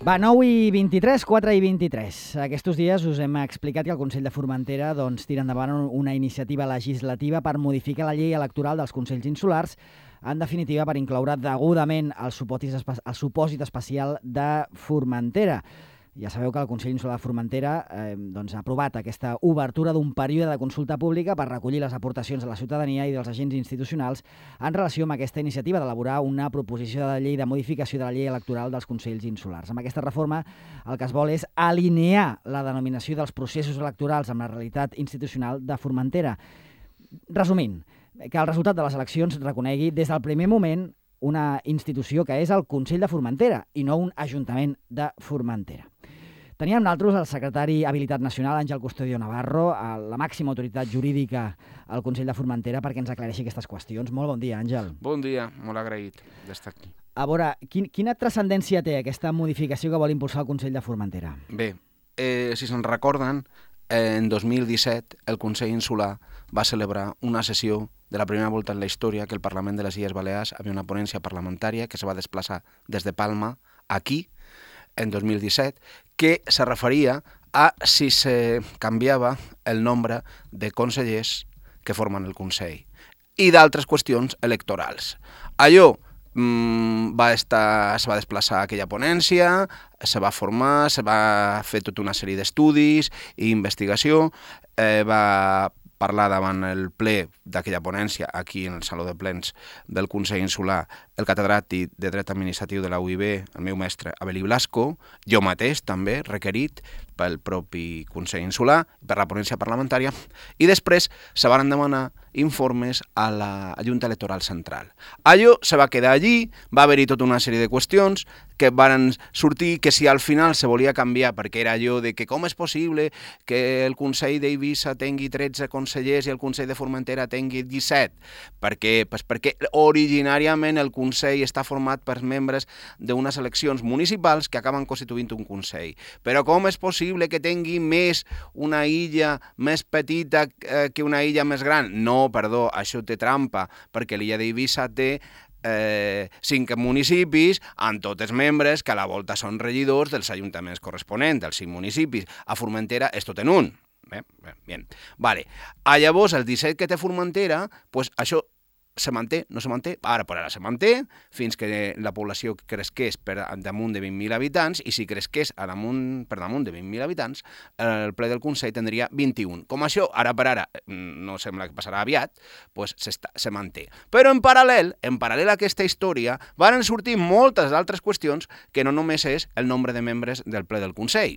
Va, 9:23, 4:23. Aquests dies us hem explicat que el Consell de Formentera tira endavant una iniciativa legislativa per modificar la llei electoral dels Consells Insulars, en definitiva per incloure degudament el supòsit especial de Formentera. Ja sabeu que el Consell Insular de Formentera ha aprovat aquesta obertura d'un període de consulta pública per recollir les aportacions de la ciutadania i dels agents institucionals en relació amb aquesta iniciativa d'elaborar una proposició de llei de modificació de la llei electoral dels Consells Insulars. Amb aquesta reforma el que es vol és alinear la denominació dels processos electorals amb la realitat institucional de Formentera. Resumint, que el resultat de les eleccions reconegui des del primer moment una institució que és el Consell de Formentera i no un Ajuntament de Formentera. Teníem amb nosaltres el secretari Habilitat Nacional, Àngel Custodio Navarro, la màxima autoritat jurídica al Consell de Formentera, perquè ens aclareixi aquestes qüestions. Molt bon dia, Àngel. Bon dia, molt agraït d'estar aquí. A veure, quina transcendència té aquesta modificació que vol impulsar el Consell de Formentera? Bé, si se'n recorden, en 2017 el Consell Insular va celebrar una sessió de la primera volta en la història que el Parlament de les Illes Balears havia una ponència parlamentària que se va desplaçar des de Palma aquí, en 2017, que se referia a si se canviava el nombre de consellers que formen el Consell i d'altres qüestions electorals. Allò se va desplaçar a aquella ponència, se va formar, se va fer tota una sèrie d'estudis i investigació, va parlar davant el ple d'aquella ponència, aquí en el Saló de Plens del Consell Insular, el catedràtic de Dret Administratiu de la UIB, el meu mestre Abelí Blasco, jo mateix també, requerit pel propi Consell Insular, per la ponència parlamentària, i després se van demanar informes a la Junta Electoral Central. Allò se va quedar allí, va haver-hi tota una sèrie de qüestions que van sortir que si al final se volia canviar, perquè era allò de que com és possible que el Consell d'Eivissa tingui 13 consellers i el Consell de Formentera tingui 17. Per què? Pues perquè originàriament el Consell està format per membres d'unes eleccions municipals que acaben constituint un Consell. Però com és possible que tingui més una illa més petita que una illa més gran? No, perdó, això té trampa, perquè l'illa d'Eivissa té 5 municipis amb tots els membres que a la volta són regidors dels ajuntaments corresponents, dels 5 municipis. A Formentera és tot en un. Bien. Vale. Llavors, el 17 que té Formentera, pues això se manté, no se manté, ara se manté, fins que la població cresqués per damunt de 20.000 habitants, i si cresqués per damunt de 20.000 habitants, el ple del Consell tindria 21. Com això, ara per ara, no sembla que passarà aviat, pues se manté. Però en paral·lel a aquesta història, van sortir moltes altres qüestions que no només és el nombre de membres del ple del Consell,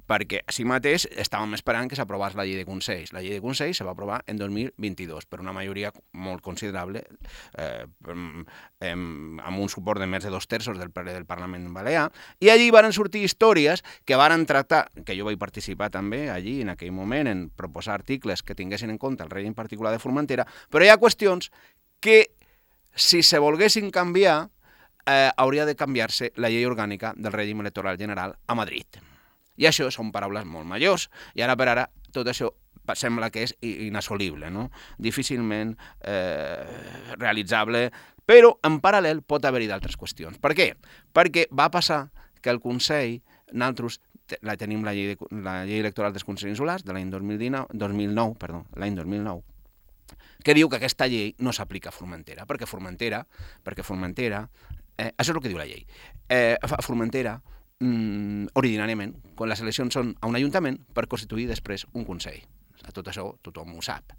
perquè així mateix estàvem esperant que s'aprovés la llei de Consells. La llei de Consells se va aprovar en 2022 per una majoria molt considerable, amb un suport de més de 2/3 del ple del Parlament Balear, i allí van sortir històries que van tractar, que jo vaig participar també allí en aquell moment en proposar articles que tinguessin en compte el règim particular de Formentera, però hi ha qüestions que si se volguessin canviar hauria de canviar-se la llei orgànica del règim electoral general a Madrid. I això són paraules molt majors, i ara per ara tot això sembla que és inassolible, no? Difícilment realitzable, però en paral·lel pot haver-hi d'altres qüestions. Per què? Perquè va passar que el Consell, nosaltres tenim la llei electoral dels Consells Insulars de l'any 2009, que diu que aquesta llei no s'aplica a Formentera, perquè Formentera, això és el que diu la llei, a Formentera, originàriament, quan les eleccions són a un ajuntament per constituir després un Consell. Tot això tothom ho sap.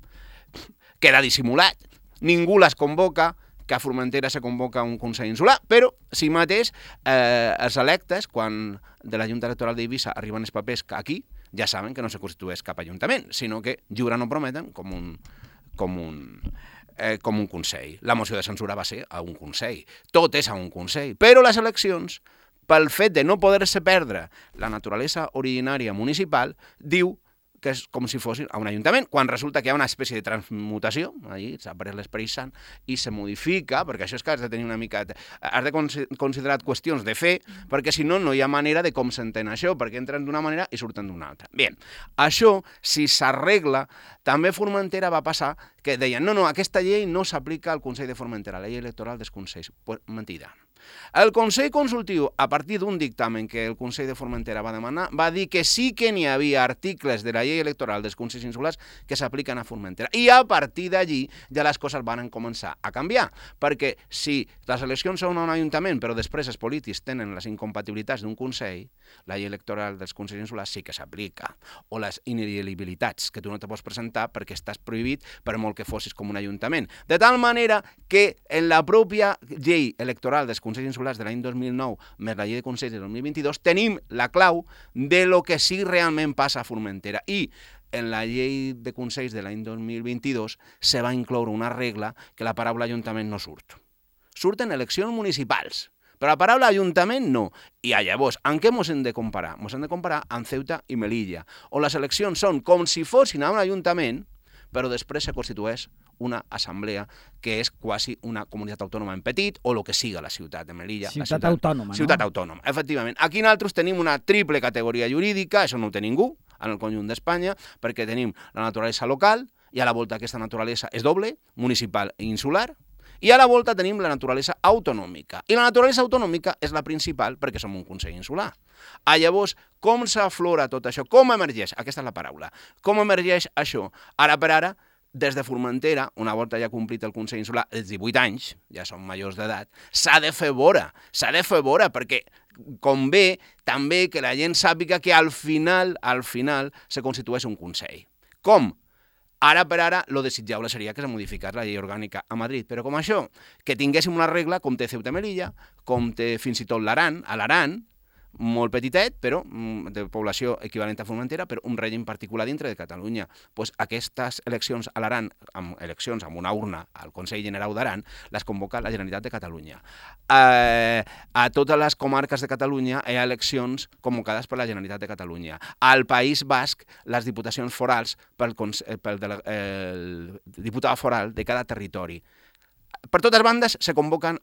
Queda dissimulat. Ningú les convoca, que a Formentera se convoca un Consell Insular, però si mateix els electes, quan de la Junta Electoral d'Eivissa arriben els papers aquí, ja saben que no se constitueix cap ajuntament, sinó que juren o prometen com un Consell. La moció de censura va ser a un Consell. Tot és a un Consell. Però les eleccions, pel fet de no poder-se perdre la naturalesa originària municipal, diu que és com si fossin a un ajuntament, quan resulta que hi ha una espècie de transmutació, allí s'ha pres l'Esperit Sant, i se modifica, perquè això és que has de tenir una mica... Has de considerar qüestions de fe, perquè si no, no hi ha manera de com s'entén això, perquè entren d'una manera i surten d'una altra. Bé, això, si s'arregla, també a Formentera va passar que deien no, aquesta llei no s'aplica al Consell de Formentera, la llei electoral dels Consells. Pues mentida. El Consell Consultiu, a partir d'un dictamen que el Consell de Formentera va demanar, va dir que sí que n'hi havia articles de la llei electoral dels Consells Insulars que s'apliquen a Formentera. I a partir d'allí ja les coses van començar a canviar, perquè si les eleccions són a un ajuntament però després els polítics tenen les incompatibilitats d'un Consell, la llei electoral dels Consells Insulars sí que s'aplica. O les ineligibilitats, que tu no te pots presentar perquè estàs prohibit per molt que fossis com un ajuntament. De tal manera que en la pròpia llei electoral dels Consells Insulars de l'any 2009 més la llei de Consells de 2022 tenim la clau de lo que sí realment passa a Formentera. I en la llei de Consells de l'any 2022 se va incloure una regla que la paraula ajuntament no surt. Surten eleccions municipals, però la paraula ajuntament no. I llavors, en què ens hem de comparar? Ens hem de comparar amb Ceuta i Melilla, on les eleccions són com si fossin a un ajuntament, però després se constitueix una assemblea que és quasi una comunitat autònoma en petit, o el que siga la ciutat de Melilla. Ciutat autònoma, no? Ciutat autònoma, efectivament. Aquí nosaltres tenim una triple categoria jurídica, això no ho té ningú, en el conjunt d'Espanya, perquè tenim la naturalesa local, i a la volta aquesta naturalesa és doble, municipal i insular, i a la volta tenim la naturalesa autonòmica. I la naturalesa autonòmica és la principal perquè som un Consell Insular. Llavors, com s'aflora tot això? Com emergeix? Aquesta és la paraula. Com emergeix això? Ara per ara, des de Formentera, una volta ja complit el Consell Insular, els 18 anys, ja són majors d'edat, s'ha de fer vora, perquè convé també que la gent sàpiga que al final se constitueix un Consell. Com? Ara per ara, lo desitjable seria que se modificés la llei orgànica a Madrid, però com això, que tinguéssim una regla com té Ceuta i Melilla, com té fins i tot l'Aran, a l'Aran, molt petitet, però de població equivalent a Formentera, però un règim particular dintre de Catalunya. Pues aquestes eleccions a l'Aran, eleccions amb una urna al Consell General d'Aran, les convoca la Generalitat de Catalunya. A totes les comarques de Catalunya hi ha eleccions convocades per la Generalitat de Catalunya. Al País Basc, les diputacions forals pel diputat foral de cada territori. Per totes bandes se convoquen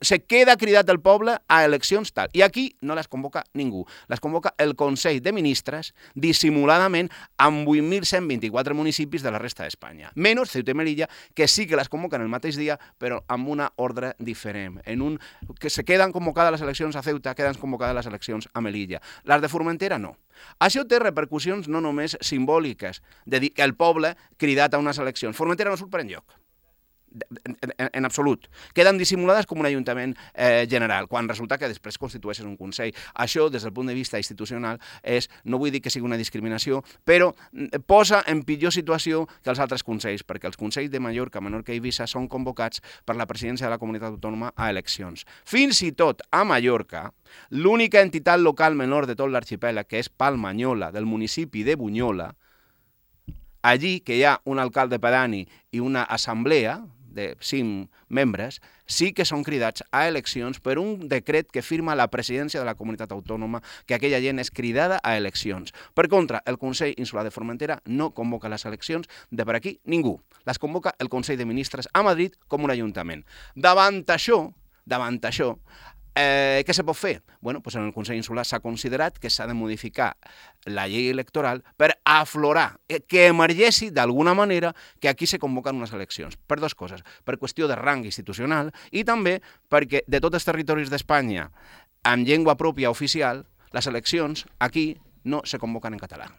se queda cridat el poble a eleccions tal. I aquí no les convoca ningú. Les convoca el Consell de Ministres dissimuladament amb 8.124 municipis de la resta d'Espanya. Menys Ceuta i Melilla, que sí que les convoquen el mateix dia, però amb una ordre diferent. Que se queden convocades les eleccions a Ceuta, queden convocades les eleccions a Melilla. Les de Formentera no. Això té repercussions no només simbòliques, de dir que el poble cridat a unes eleccions. Formentera no surt per enlloc. En absolut. Queden dissimulades com un ajuntament general, quan resulta que després constitueixes un Consell. Això, des del punt de vista institucional, no vull dir que sigui una discriminació, però posa en pitjor situació que els altres consells, perquè els consells de Mallorca, Menorca i Eivissa són convocats per la presidència de la comunitat autònoma a eleccions. Fins i tot a Mallorca, l'única entitat local menor de tot l'arxipèlag, que és Palmanyola, del municipi de Bunyola, allí que hi ha un alcalde pedani i una assemblea de 5 membres, sí que són cridats a eleccions per un decret que firma la presidència de la comunitat autònoma, que aquella gent és cridada a eleccions. Per contra, el Consell Insular de Formentera no convoca les eleccions de per aquí ningú. Les convoca el Consell de Ministres a Madrid com un ajuntament. Davant això, què se pot fer? Bueno, doncs en el Consell Insular s'ha considerat que s'ha de modificar la llei electoral per aflorar, que emergeixi d'alguna manera que aquí se convoquen unes eleccions. Per dues coses. Per qüestió de rang institucional i també perquè de tots els territoris d'Espanya amb llengua pròpia oficial, les eleccions aquí no se convoquen en català,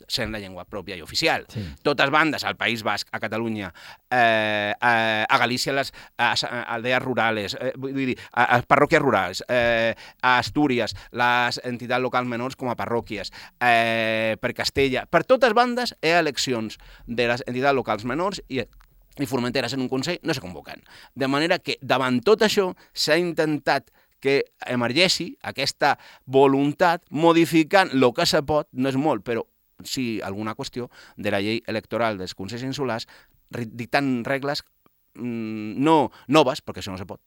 sent la llengua pròpia i oficial. Sí. Totes bandes, al País Basc, a Catalunya, a Galícia, les aldees rurales, vull dir, a parròquies rurals, a Astúries, les entitats locals menors com a parròquies, per Castella, per totes bandes hi ha eleccions de les entitats locals menors i Formentera en un Consell no se convoquen. De manera que davant tot això s'ha intentat que emergeixi aquesta voluntat modificant el que se pot, no és molt, però sí alguna qüestió de la llei electoral dels Consells Insulars, dictant regles no noves, perquè això no se pot,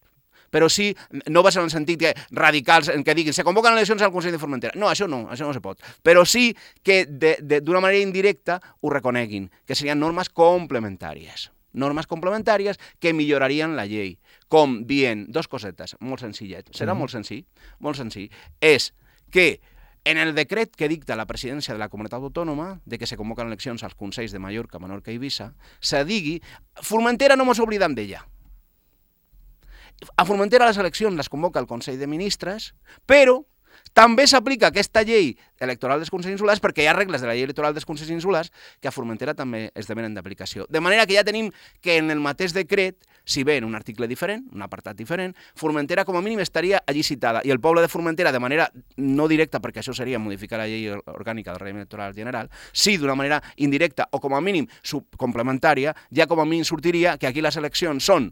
però sí noves en el sentit que radicals, en què diguin se convoquen eleccions al Consell de Formentera. No, això no se pot. Però sí que d'una manera indirecta ho reconeguin, que serien normes complementàries. Normes complementàries que millorarien la llei. Com dient, dos cosetes, molt senzillet, serà molt senzill, és que en el decret que dicta la presidència de la comunitat autònoma, de que se convoquen eleccions als consells de Mallorca, Menorca i Eivissa, se digui, Formentera no mos oblidem d'ella. A Formentera les eleccions les convoca el Consell de Ministres, però també s'aplica aquesta llei electoral dels Consells Insulars perquè hi ha regles de la llei electoral dels Consells Insulars que a Formentera també esdevenen d'aplicació. De manera que ja tenim que en el mateix decret, si bé en un article diferent, un apartat diferent, Formentera com a mínim estaria allí citada i el poble de Formentera de manera no directa, perquè això seria modificar la llei orgànica del règim electoral general, sí d'una manera indirecta o com a mínim complementària, ja com a mínim sortiria que aquí les eleccions són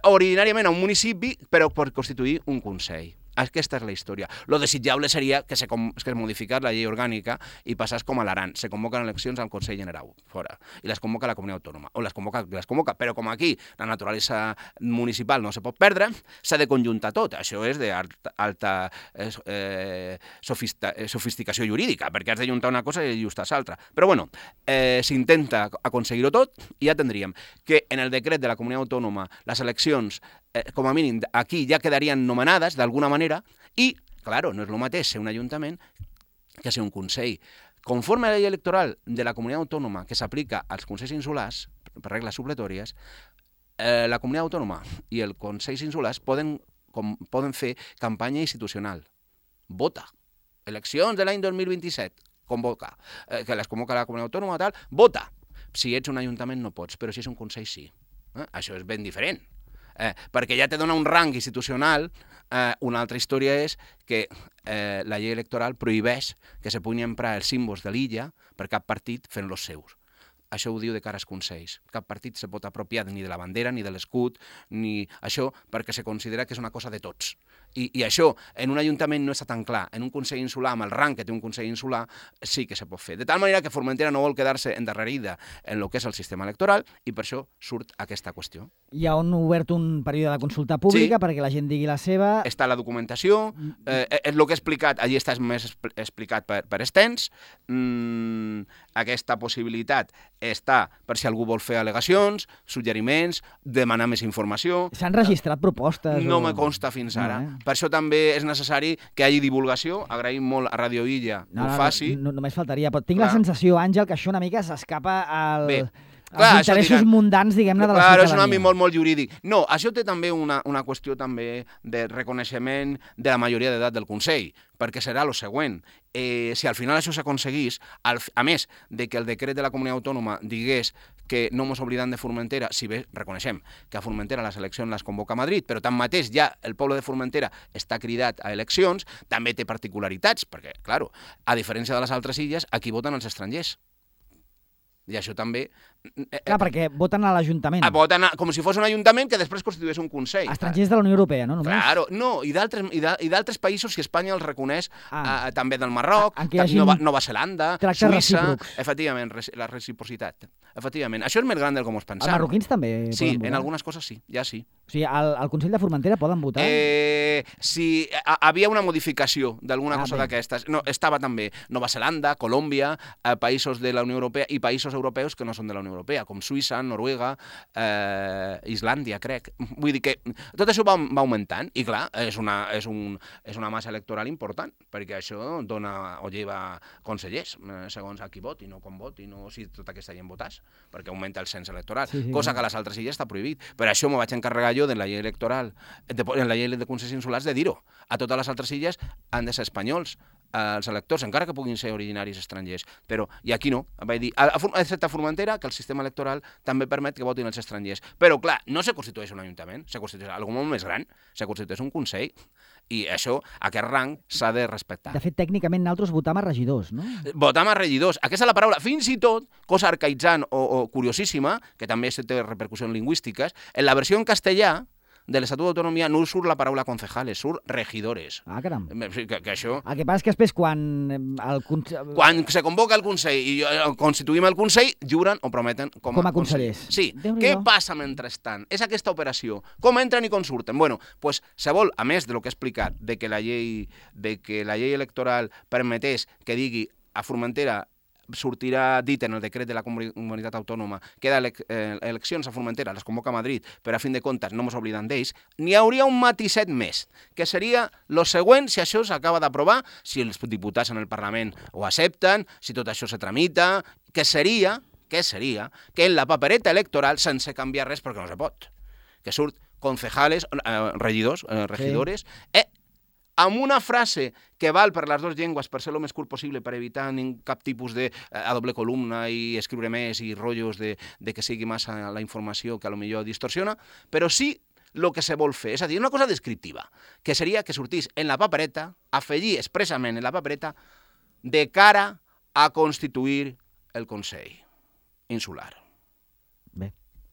originàriament a un municipi, però per constituir un consell. Aquesta és la història. Lo desitjable seria que se modificar la llei orgànica i passés com a l'Aran. Se convoquen eleccions al Consell General, fora, i les convoca la Comunitat Autònoma. O les convoca, però com aquí la naturalesa municipal no se pot perdre, s'ha de conjuntar tot. Això és d'alta sofisticació jurídica, perquè has de juntar una cosa i ajustar l'altra. Però bueno, s'intenta aconseguir-ho tot i ja tindríem que en el decret de la Comunitat Autònoma les eleccions com a mínim aquí ja quedarien nomenades d'alguna manera i, claro, no és el mateix ser un ajuntament que ser un consell. Conforme a la llei electoral de la comunitat autònoma que s'aplica als consells insulars, per regles supletòries, la comunitat autònoma i els consells insulars poden fer campanya institucional. Vota. Eleccions de l'any 2027. Convoca. Que les convoca la comunitat autònoma, tal. Vota. Si ets un ajuntament no pots, però si és un consell sí. Això és ben diferent. Perquè ja te dona un rang institucional. Una altra història és que la llei electoral prohibeix que se puguin emprar els símbols de l'illa per cap partit fent-los seus. Això ho diu de cara als consells. Cap partit se pot apropiar ni de la bandera, ni de l'escut, ni això, perquè se considera que és una cosa de tots. I això, en un ajuntament no està tan clar. En un consell insular, amb el rang que té un consell insular, sí que se pot fer. De tal manera que Formentera no vol quedar-se endarrerida en el que és el sistema electoral i per això surt aquesta qüestió. Hi ha obert un període de consulta pública perquè la gent digui la seva. Està la documentació, el que he explicat, allí està més explicat per extens. Aquesta possibilitat està per si algú vol fer al·legacions, suggeriments, demanar més informació. S'han registrat propostes? No me consta fins ara. Per això també és necessari que hi hagi divulgació. Agraïm molt a Radio Illa que ho faci. Només faltaria, però tinc la sensació, Àngel, que això una mica s'escapa als interessos mundans, diguem-ne, de la ciutadania. És un àmbit molt jurídic. No, això té també una qüestió també de reconeixement de la majoria d'edat del Consell, perquè serà el següent. Si al final això s'aconseguís, a més de que el decret de la comunitat autònoma digués que no mos oblidem de Formentera, si bé reconeixem que a Formentera les eleccions les convoca a Madrid, però tanmateix ja el poble de Formentera està cridat a eleccions, també té particularitats, perquè, clar, a diferència de les altres illes, aquí voten els estrangers. I això també... Clar, perquè voten a l'Ajuntament. Voten com si fos un ajuntament que després constituís un consell. Estrangers de la Unió Europea, no? Només? Claro, no, i d'altres països, si Espanya els reconeix, també del Marroc, Nova Zelanda, Suïssa... Efectivament, la reciprocitat. Efectivament. Això és més gran del que ens pensàvem. Els marroquins també sí, poden votar? En algunes coses sí, ja sí. O sigui, al Consell de Formentera poden votar? Si havia una modificació d'alguna cosa d'aquestes. No, estava també Nova Zelanda, Colòmbia, països de la Unió Europea i països europeus que no són de la Unió Europea, com Suïssa, Noruega, Islàndia, crec. Vull dir que tot això va augmentant i, clar, és una massa electoral important, perquè això dona o lleva consellers, segons a qui voti, no com voti, no si tota aquesta gent votàs, perquè augmenta el cens electoral, cosa que a les altres illes està prohibit. Per això m'ho vaig encarregar jo de la llei electoral, en la llei de consells insulars, de dir-ho. A totes les altres illes han de ser espanyols, els electors, encara que puguin ser originaris estrangers. Però, i aquí no. Vaig dir, excepte a Formentera, que el sistema electoral també permet que votin els estrangers. Però, clar, no se constitueix un ajuntament, se constitueix algo molt més gran, se constitueix un consell. I això, aquest rang, s'ha de respectar. De fet, tècnicament, nosaltres votam a regidors, no? Votam a regidors. Aquesta és la paraula. Fins i tot, cosa arcaïtzant o curiosíssima, que també té repercussions lingüístiques, en la versió en castellà de l'Estatut d'Autonomia no surt la paraula concejales, surt regidores. Ah, caram. Que això... El que passa és que després, quan se convoca el Consell i constituïm el Consell, juren o prometen com a consellers. Sí. Què passa mentrestant? És aquesta operació. Com entren i com surten? Bueno, pues se vol, a més de lo que he explicat, de que la llei electoral permetés que digui a Formentera sortirà dit en el decret de la comunitat autònoma que eleccions a Formentera les convoca a Madrid, però a fin de comptes no ens oblidem d'ells, n'hi hauria un matisset més, que seria lo següent si això s'acaba d'aprovar, si els diputats en el Parlament ho accepten, si tot això se tramita, que seria que en la papereta electoral, sense canviar res perquè no se pot, que surt concejales, regidores, amb una frase que val per les dues llengües per ser el més curt possible, per evitar cap tipus de a doble columna i escriure més i rotllos de que sigui massa la informació que potser distorsiona, però sí el que se vol fer, és a dir, una cosa descriptiva, que seria que sortís en la papereta, afegir expressament en la papereta, de cara a constituir el Consell Insular. Bé.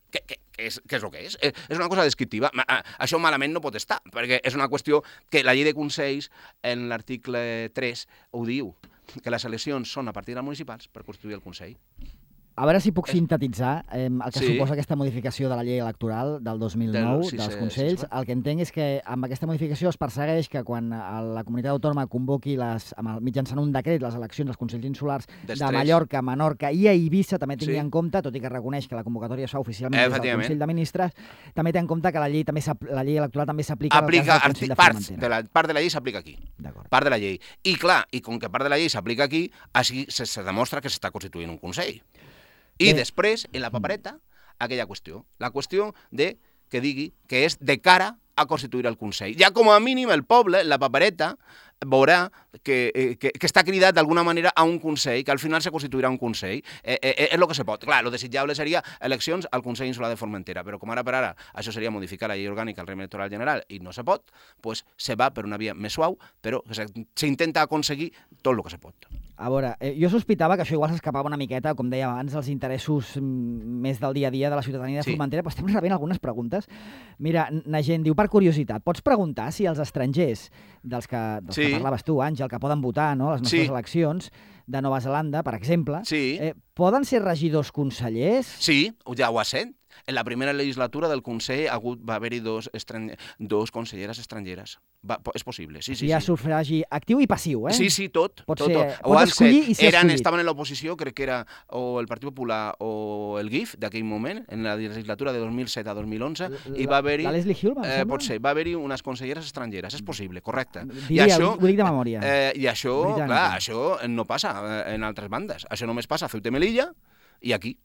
Què és el que és? És una cosa descriptiva. Això malament no pot estar, perquè és una qüestió que la llei de consells, en l'article 3, ho diu, que les eleccions són a partir dels municipals per constituir el Consell. A veure si puc sintetitzar el que suposa aquesta modificació de la llei electoral del 2009, dels Consells. El que entenc és que amb aquesta modificació es persegueix que quan la comunitat autònoma convoqui mitjançant un decret les eleccions als Consells Insulars de Mallorca, Menorca i a Eivissa, també tingui en compte, tot i que reconeix que la convocatòria es fa oficialment des del Consell de Ministres, també té en compte que la llei electoral també s'aplica al cas del Consell de Formentera. Part de la llei s'aplica aquí. Part de la llei. I clar, i com que part de la llei s'aplica aquí, així se demostra que s'està constituint un Consell. I després, en la papereta, aquella qüestió. La qüestió de que digui que és de cara a constituir el Consell. Ja com a mínim el poble, en la papereta, veurà que està cridat d'alguna manera a un Consell, que al final se constituirà un Consell. És el que se pot. Clar, el desitjable seria eleccions al Consell Insular de Formentera, però com ara per ara això seria modificar la llei orgànica del règim electoral general i no se pot, doncs se va per una via més suau, però s'intenta aconseguir tot el que se pot. A veure, jo sospitava que això igual s'escapava una miqueta, com deia abans, dels interessos més del dia a dia de la ciutadania de Formentera, però estem rebent algunes preguntes. Mira, Nagent diu, per curiositat, pots preguntar si els estrangers dels que parlaves tu, Àngel, que poden votar a les nostres eleccions de Nova Zelanda, per exemple, poden ser regidors consellers? Sí, ja ho ha sent. En la primera legislatura del Consell va haver-hi dos conselleres estrangeres. És possible, sí. Hi ha sufragi actiu i passiu, eh? Sí, tot. Pots escollir i ser escollit. Estaven en l'oposició, crec que era o el Partit Popular o el GIF d'aquell moment, en la legislatura de 2007 a 2011, i va haver-hi... La Leslie Hill, pot ser, va haver-hi unes conselleres estrangeres, és possible, correcte. Ho dic de memòria. I això, clar, això no passa en altres bandes. Això només passa a Ceuta i Melilla i aquí.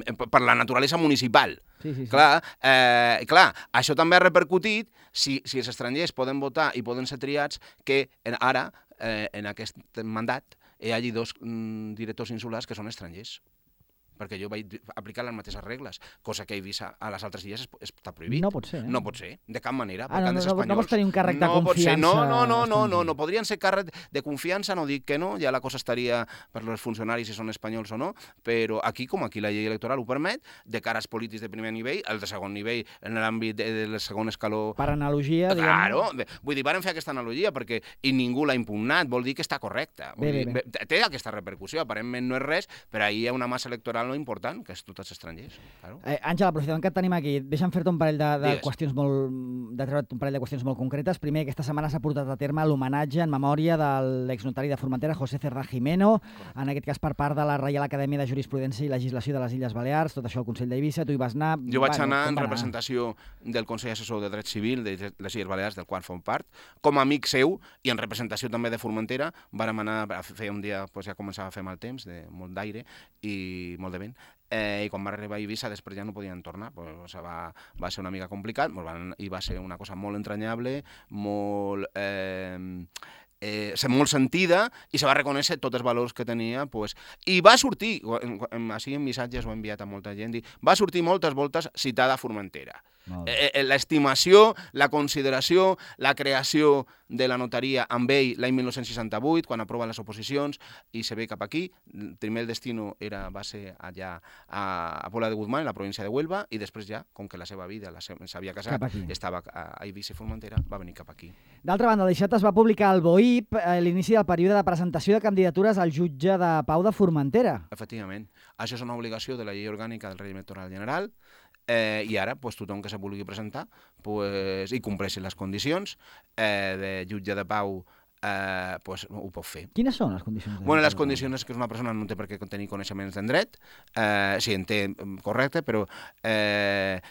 Per la naturalesa municipal. Sí. Clar, això també ha repercutit, si els estrangers poden votar i poden ser triats, que ara, en aquest mandat, hi hagi dos directors insulars que són estrangers. Perquè jo vaig aplicar les mateixes regles, cosa que a Eivissa a les altres illes està prohibit. No pot ser, No pot ser, de cap manera. No pots tenir un càrrec de confiança. No podrien ser càrrec de confiança, no dic que no, ja la cosa estaria per als funcionaris si són espanyols o no, però aquí, com aquí la llei electoral ho permet, de cara als polítics de primer nivell, el de segon nivell, en l'àmbit del segon escaló... Per analogia, Claro, vull dir, varen fer aquesta analogia perquè ningú l'ha impugnat, vol dir que està correcta. Té aquesta repercussió, aparentment no és res, però ahir hi ha una massa electoral important, que és tots els estrangers. Claro. Àngel, aprofitant que et tenim aquí, deixa'm fer-te un parell de qüestions molt concretes. Primer, aquesta setmana s'ha portat a terme l'homenatge en memòria de l'exnotari de Formentera, José Cerdá Jimeno, en aquest cas per part de la Reial Acadèmia de Jurisprudència i Legislació de les Illes Balears, tot això al Consell d'Eivissa, tu hi vas anar... Jo vaig anar en representació del Consell Assessor de Dret Civil de les Illes Balears, del qual form part, com a amic seu i en representació també de Formentera. Vàrem anar a fer un dia, ja començava a fer mal temps, molt d'aire i molt de vent, i quan va arribar a Eivissa després ja no podien tornar, va ser una mica complicat i va ser una cosa molt entranyable, molt sentida, i se va reconèixer tots els valors que tenia, i va sortir, així en missatges ho he enviat a molta gent, va sortir moltes voltes citada Formentera. L'estimació, la consideració, la creació de la notaria amb ell l'any 1968, quan aproven les oposicions i se ve cap aquí. Primer el destino va ser allà a Pola de Guzmán, en la província de Huelva, i després ja, com que la seva vida s'havia casat, estava a Eivissa i Formentera, va venir cap aquí. D'altra banda, deixat es va publicar al BOIP l'inici del període de presentació de candidatures al jutge de pau de Formentera. Efectivament. Això és una obligació de la llei orgànica del règim electoral general, i ara tothom que se vulgui presentar i compleixi les condicions de jutge de pau ho pot fer. Quines són les condicions? Les condicions és que una persona no té per què tenir coneixements en dret, si en té correcte, però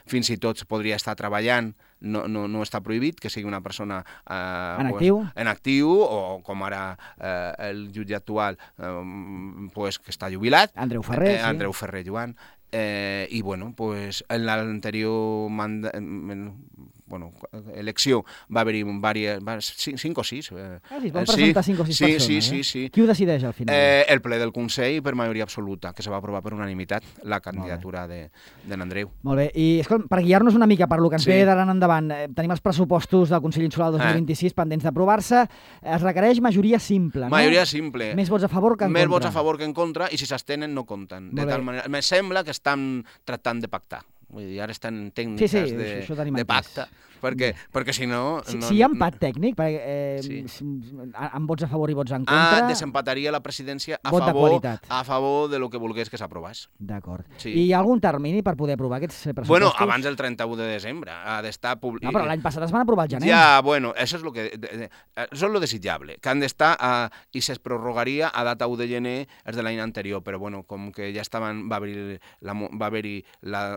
fins i tot podria estar treballant, no està prohibit que sigui una persona en actiu, o com ara el jutge actual que està jubilat, Andreu Ferrer Joan, I, bueno, pues, en l'anterior elecció va haver-hi 5 o 6. Sí, es van presentar 5 o 6 persones. Sí. Qui ho decideix al final? El ple del Consell per majoria absoluta, que se va aprovar per unanimitat la candidatura de l'Andreu. Molt bé, i escolta, per guiar-nos una mica per lo que ens ve d'ara en endavant, tenim els pressupostos del Consell Insular 2026 pendents d'aprovar-se, es requereix majoria simple, no? Majoria simple. Més vots a favor que en contra. Més vots a favor que en contra, i si s'abstenen no compten. De tal manera, me sembla que estan tractant de pactar. Vull dir, ara estan en tècniques de pacte, perquè si no... Si hi ha empat tècnic, amb vots a favor i vots en contra... Desempataria la presidència a favor de lo que volgués que s'aprovés. D'acord. I hi ha algun termini per poder aprovar aquests pressupostos? Bueno, abans del 31 de desembre. Ha d'estar publicat... No, però l'any passat es van aprovar al gener. Ja, bueno, això és lo desitjable, que han d'estar i es prorrogaria a data 1 de gener els de l'any anterior, però bueno, com que ja estaven, va haver-hi la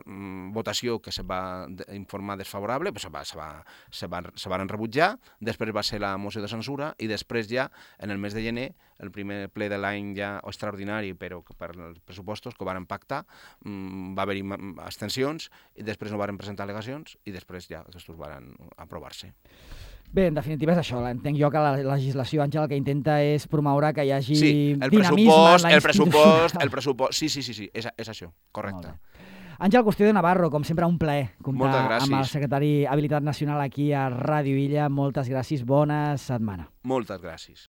votació que se va informar desfavorable, pues se van rebutjar, després va ser la moció de censura i després ja, en el mes de gener, el primer ple de l'any ja extraordinari, però per els pressupostos que ho van pactar, va haver-hi abstencions i després no van presentar al·legacions i després ja aquests van aprovar-se. Bé, en definitiva és això. Entenc jo que la legislació, Àngel, el que intenta és promoure que hi hagi dinamisme en la institució. El pressupost, sí, és això, correcte. Àngel Custodio Navarro, com sempre, un plaer comptar amb el secretari Habilitat Nacional aquí a Ràdio Illa. Moltes gràcies, bona setmana. Moltes gràcies.